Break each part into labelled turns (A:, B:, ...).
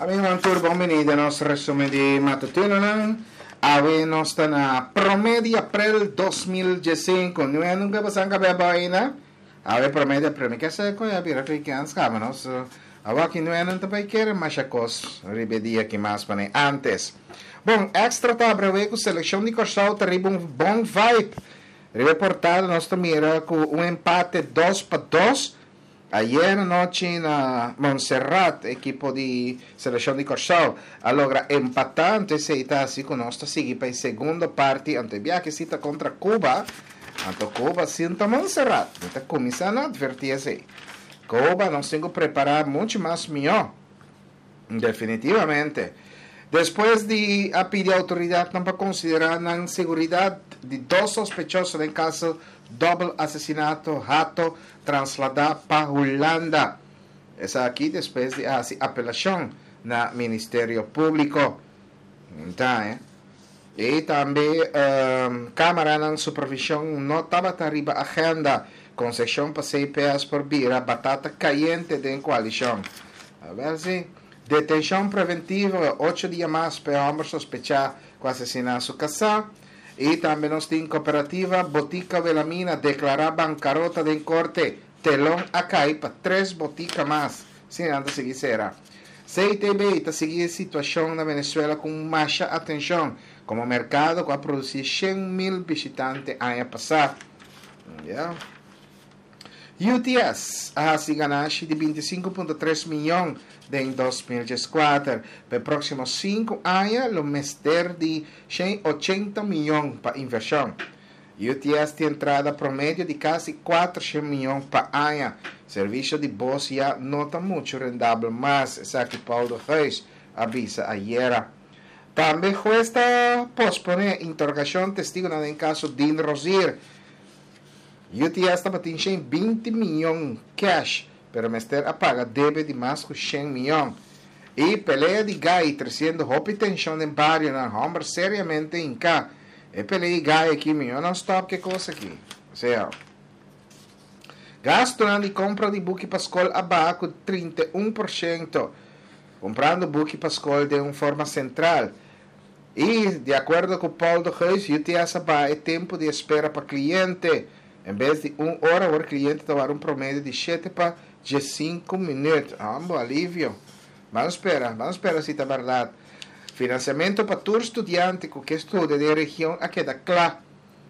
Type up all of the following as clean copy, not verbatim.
A: Amigonan tur bon bini den nos resumen di matutinonan. Awe nos ta na prome di aprel 2015. Nu e nunca pasan cabe abao ainda. Awe prome di aprel. Mi ke sa con ya bira cu kens caba nos. Awa aki nu e nan ta bay kere masha cos riba e dia aki mas pane antes. Bon, Extra ta abri awe cu seleccion di Corsou ta riba un bon vibe. Riba e portada nos ta mira cu un empate 2-2. Ayer anochi na Montserrat ekipo di selekshon di Kòrsou a logra empatá, anto esei ta hasi ku nos ta sigui pa e segundo parti, anto e biaha si ta kontra Cuba, anto Cuba si no ta Montserrat, mi ta kuminsá na atvertí esei. Cuba nos tin ku prepará muchu mas mihó. Definitivamente. Despues di a pidi autoridadnan pa considera nan seguridad di dos sospechoso den caso dobbel asesinato Hato traslada pa Hulanda. Esaki despues di a haci apelacion na Ministerio Publico. Ta, eh. Y tambe camaranan supervision no tabata riba agenda. Concesion pa CPS por bira batata cayente den coalicion. A ver si. Detencion preventivo, ocho dia mas pa e homber sospecha cu asesina su casa. Y tambe nos tin cooperativa Botica Wilhelmina declara bancarota den corte. Telon a cay pa tres botica mas. Si nan ta sigui cera. CTB ta sigui e situacion na Venezuela cu masha atencion, como mercado cu a produci 100,000 bishitante aña pasa. Ya. UTS a haci ganashi di 25.3 miyon den 2014. Pa e proximo 5 aña lo mester di 180 miyon pa inversion. UTS tin entrada promedio di casi 400 miyon pa aña. Servicio di bus ya no ta mucho rendabel mas, esaki Paul de Geus a bisa ayera. Tambe hues ta pospone interrogacion testigonan den caso Dean Rozier. UTS tabatin 120 miyon cash, pero mester a paga debe di mas cu 100 miyon. Y pelea di gai treciendo hopi tension den barionan, homber seriamente hinca. E pelea di gai aki, miyon nan stop ke cos aki. Osea, gastonan di compra di buki pa scol a baha cu 31%, comprando buki pa scol den un forma central. Y, di acuerdo cu Paul de Geus, UTS a baha e tempo di espera pa cliente. En bes di un ora, awor cliente ta wara un promedio di 7 pa 15 minuut. Ambo, alivio. Ban spera, ban spera si ta berdad. Financiamento pa tur studiante cu ke studia den region a keda cla.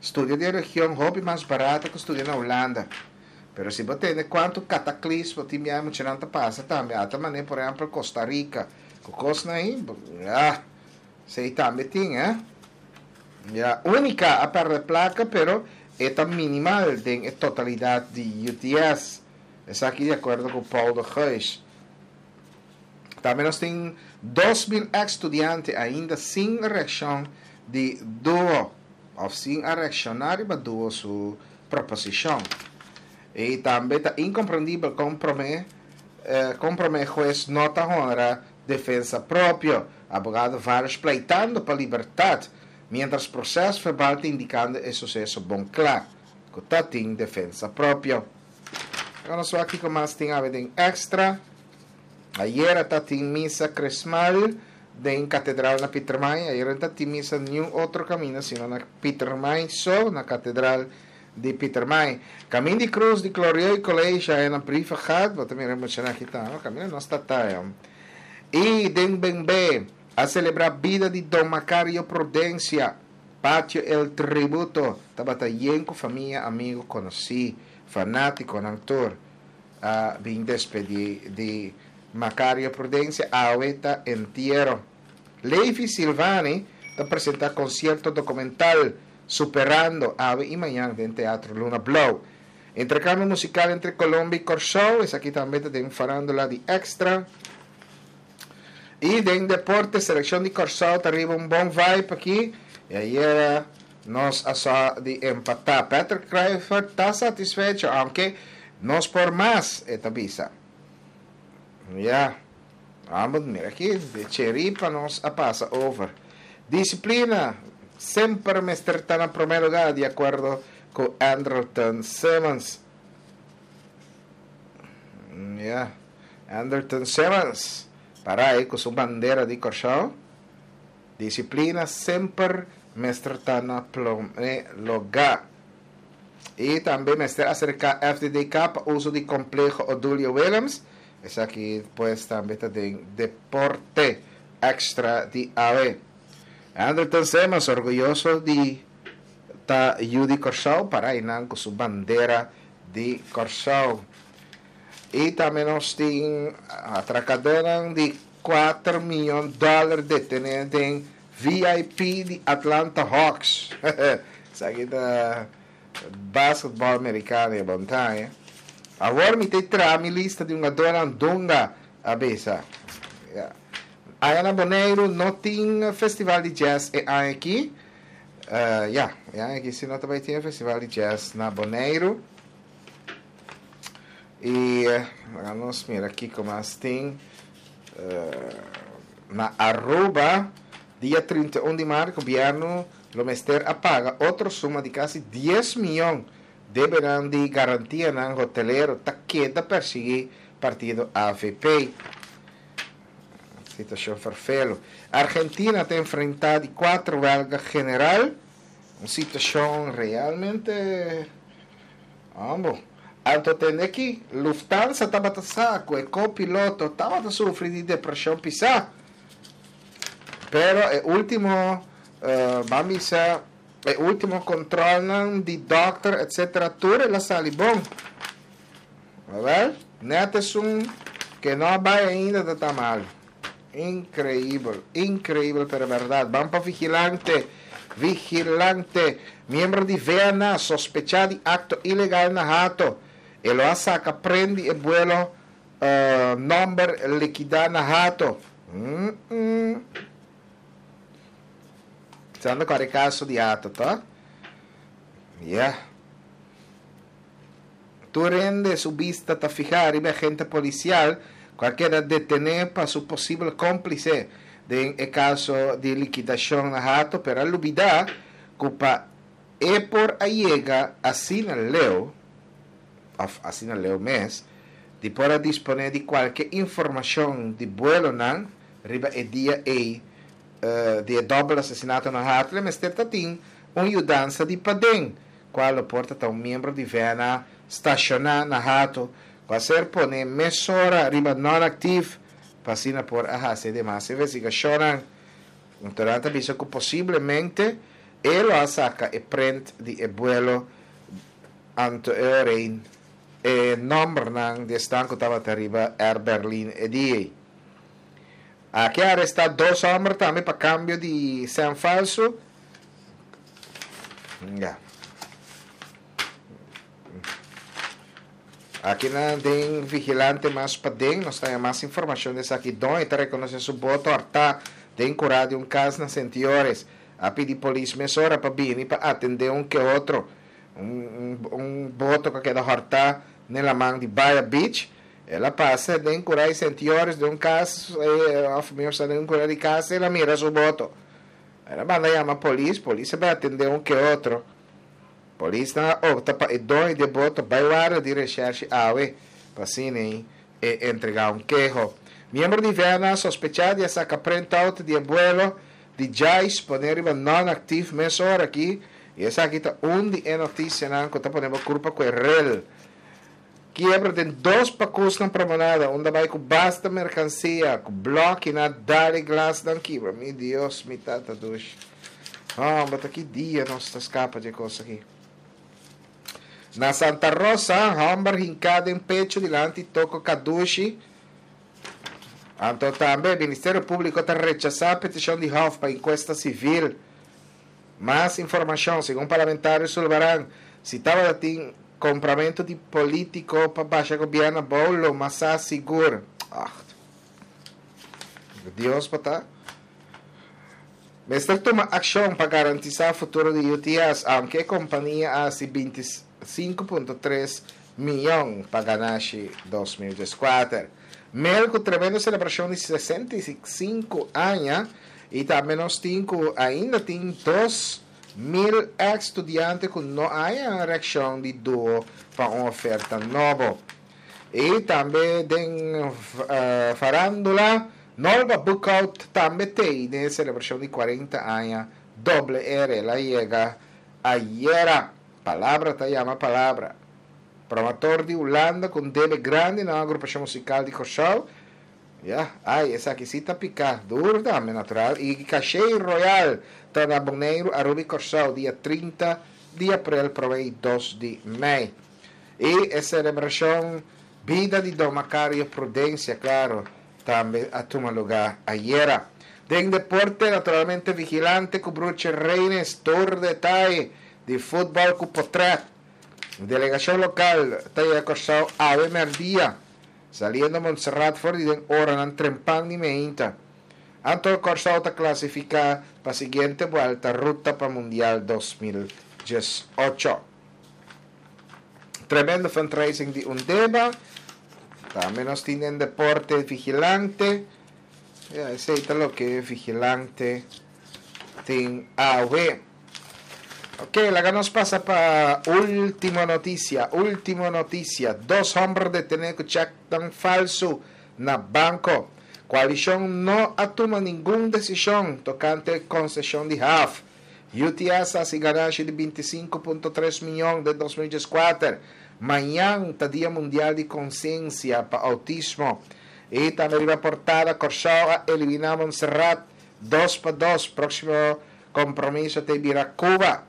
A: Studia den region hopi mas barato cu studia na Hulanda. Pero si bo tende cuanto cataclismo tin biaha muchanan ta pasa tambe, ata mane por ehempel Costa Rica, cu cosnan ahi, ah, esey tambe tin, eh. Ya, Unica a perde placa, pero e ta minimal den e totalidad di UTS. Esaki di acuerdo cu Paul de Geus. Tambe nos tin 2,000 ex studiante ainda sin reaccion di duo, of sin a reacciona riba duo su proposicion. Y tambe ta incomprendibel con prome, eh, con prome hues no ta honra defensa propio. Abogado Varish pleitando pa libertad, mientras proces verbal ta indicando e suceso bon cla, cu ta tin defensa propio. Awor nos wak kico mas tin awe den Extra. Ayera ta tin misa crismal den catedral na Pietermaai. Ayera no ta tin misa niun otro camino sino na Pietermaai so, na catedral di Pietermaai. Camin di Cruz di Glorieux College aya na Brievengat. Bo ta mira muchanan aki ta, no? Caminda nos ta ta ya. Y den Benbe a celebra bida di Don Macario Prudencia. Patio El Tributo tabata yen cu famia, amigo, conoci, fanaticonan tur a bin despedi di Macario Prudencia. Awe ta entiero. Levi Silvani ta presenta concierto documental Superando awe y mañan den Teatro Luna Blou. Intercambio musical entre Colombia y Corsou, esaki tambe ta den farandula di Extra. Y den deporte, seleccion di Corsou ta riba un bon vibe aki. Y ayera nos a sa di empata. Patrick Kluivert ta satisfecho, aunke nos por mas, e ta bisa. Ya, ambos mira aki, de cheripa nos a pasa over. Disciplina semper mester ta na prome lugar, di acuerdo cu Andrelton Simmons. Ya, Andrelton Simmons. Para ei ku su bandera di Kòrsou. Disiplina semper mester ta na promé lugá. I tambe mester aserká FDDK pa uso di Kompleho Odulio Willems. Esaki pues tambe ta den Deporte Extra di awe. Andrelton Simmons orguyoso di ta yu di Kòrsou para einan ku su bandera di Kòrsou. I tambe nos tin atrakadónan di kuater miyon dòler detené den VIP di Atlanta Hawks. Esaki ta basketball merikano e bon ta, eh. Awor mi ta traha mi lista di hungadónan Dunga a bisa. Ya. Aya na Boneiru no tin festival di jazz e aña aki. Ya, e aña aki si no ta bai tin e festival di jazz na Boneiru. I laga nos mira kiko mas tin. Na Aruba, dia 31 di maart, gobierno lo mester a paga otro suma di kasi dies miyon debenan di garantianan hotelero ta keda persigui partido avp. Situacion ferfelo. Argentina ta enfrenta di cuatro welga general, un situacion realmente. Ambo. Anto tende ki Lufthansa tabata sa ku e ko-piloto tabata sufri di depreshon pisá. Pero e último, ban bisa, e último kontrolnan di dòkter etsetera tur el a sali bon. Awèl, nèt esun ke no a bai ainda ta ta malu. Increíbel, increíbel pero berdad. Ban pa vigilante, vigilante. Miembro di VNA sospecha di acto ilegal na Hato. E lo a saca pren di e buelo nomber liquida na Hato. Mm mm. Pensando cu e caso di Hato, toch? Yeah. Tur hende su bista ta fihá riba e agente polisial ku a keda detené pa su posibel kómplise den e kaso di likidashon na Hato, pero a lubidá ku pa e por a yega asina leu, òf asina leu mes, di por a disponé di kualke informashon di buelonan riba e dia ei di e dòbel asesinato na Hato, e mester ta tin un yudansa di paden. Cual lo por ta ta un miembro di VNA staciona na Hato cu a ser pone mesora riba non-actief pa asina por a haci e demas investigacionnan. Anto nan ta bisa cu posiblemente e lo a saca e print di e buelo anto e orein e nombernan di esnan cu tabata riba Air Berlin e dia ey. Aki a aresta dos homber tambe pa cambio di cen falso. Ya. Aki na den Vigilante mas paden nos ta haña mas informacion di esaki. Don e ta reconoce su boto harta den cura di un cas na Sentiores. A pidi polis mesora pa bini pa atende un ke otro. Un, un, un boto cu a keda horta den laman di Baya Beach. El a pasa den cura di Sentiores den un cas, eh, of mihor sa den un cura di cas, el a mira su boto. El a manda yama polis, polis a bai atendé un ke otro. Polisnan a opta pa e doño di e boto bai warda di reshèrshi awe pa asina e entregá un keho. Miembro di VNA sospechá di a saka printout di e buelo di Jais pone riba non-actief mesora aki i esaki ta un di e notisianan ku ta pone bo kurpa ku e rel. Kiebra den dos pakusnan promenada unda bai ku basta merkansia, ku bloki na dal e glasnan kibra. Mi Dios, mi tata dushi. Homber, ta ki dia nos ta skapa dje kos aki. Na Santa Rosa, homber hinká den pecho dilanti toko kadushi. Anto tambe, Ministerio Públiko ta rechasá petishon di Hof pa inkuesta sivil. Mas informashon, segun parlamentario Sulvaran, si tabata tin Compramentu di politico pa basha gobierno abou lo masa sigur. Acht. Dios pa ta. Mester tuma accion pa garantisa futuro di UTS, aunke e compania a haci 25.3 miyon pa ganashi 2014. Mel cu tremendo celebracion di 65 aña y tambe nos tin cu ainda tin dos Mil ex studiante ku no a haña reakshon di duo pa un oferta nobo. I tambe den farándula, Nolba Boekhoudt tambe t'ei den e selebrashon di 40 aña Doble R. El a yega ayera. Palabra ta yama palabra. Promotor di Hulanda ku un debe grandi na un agrupashon musikal di Kòrsou. Ya, ai, esaki sí ta piká duru tambe, natural. I Caché Royal ta na Boneiru, Aruba i Kòrsou dia 30 di aprel promé i 2 di mei. I e selebrashon Bida di Don Macario Prudencia, klaro, tambe a tuma lugá ayera. Den deporte, naturalmente Vigilante ku Bruche Reines tur detaye di futbòl ku potrèt. Delegashon lokal ta yega Kòrsou awe mèrdia, saliendo Montserrat for di den oranan trempan di meinta. Anto Kòrsou ta klasifiká pa siguiente buèlta ruta pa Mundial 2018. Tremendo fundraising di Undeba. Tambe nos tin den deporte Vigilante. Ya, esei ta loke Vigilante tin awe. Ok, laga nos pasa pa último noticia. Último noticia. Dos homber detené ku chèknan falsu na banko. Koalishon no a tuma ningun desishon tokante konseshon di haf. UTS a hasi ganashi di 25.3 mion den 2014. Mañan ta Dia Mundial di Konsiensia pa Outismo. I tambe riba portada Kòrsou a eliminá Montserrat 2-2. Próksimo kompromiso ta bira Cuba.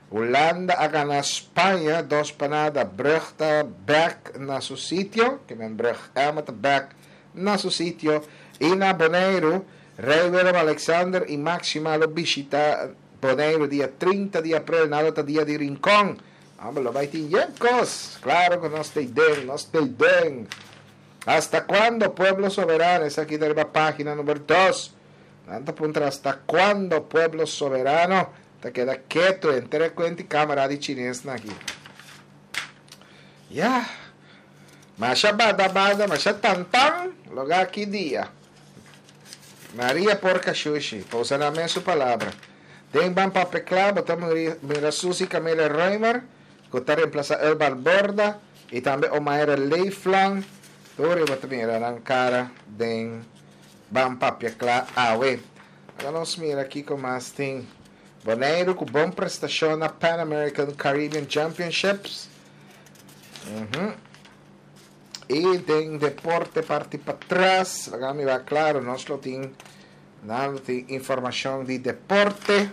A: Hulanda a gana Spaña 2-0. Brug ta bèk na su sitio. Ke men Brug Emma ta bèk na su sitio. I na Boneiru, Rei Willem Alexander i Máxima lo bishita Boneiru dia 30 di aprel. Nan lo ta dia di Rincon. Homber, lo bai tin yen kos. Klaro ku nos ta den, nos ta den. Hasta cuando, pueblo soberano? Esaki ta riba página number 2. Nan ta puntra hasta cuando, pueblo soberano? Ta keda ketu henter e kuenti kamera di chinesnan aki. Ya. Masha bada bada, masha tan tan, loga ki dia. Maria porca shushi, pa usa nan mes su palabra. Den Ban Papia Kla bo ta mira Suzy Camelia Römer, ku ta reemplasa Elbar Borda, i tambe Omaira Leeflang. Tur bo ta mira nan kara den Ban Papia Kla awe. Laga nos mira kiko mas tin. Boneiru ku bon prestashon na Pan American Caribbean Championships. I den deporte parti patras, laga mi wak klaro, nos lo tin, nan lo tin informashon di deporte.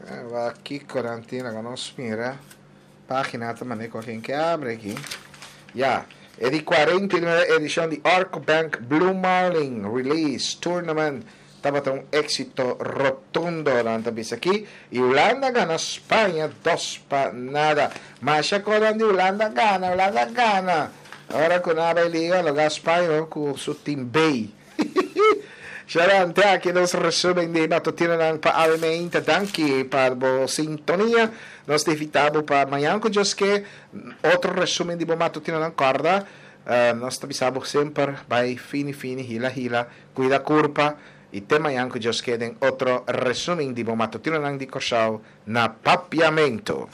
A: Wak kiko nan tin, laga nos mira. Página ta mane ku ken ke abre aki. Ya, e di 49 edishon di Arco Bank Blue Marlin Release Tournament tabata un éksito rotundo, nan ta bisa aki. I Hulanda gana Spaña 2-0. Masha konan di Hulanda gana, Hulanda gana. Ora ku nan a bai liga, lo ga Spaña ku su team B. Sharon, te aki nos resumen di matutinonan pa awe meinta. Danki pa bo sintonia. Nos ta invita bo pa mañan ku Dios ke otro resumen di bo matutinonan. Kòrda, nos ta bisa bo semper bai fini fini, hila hila, kuida kurpa i te mañan ku Dios ke den otro resumen di bo matutinonan di Kòrsou na Papiamentu.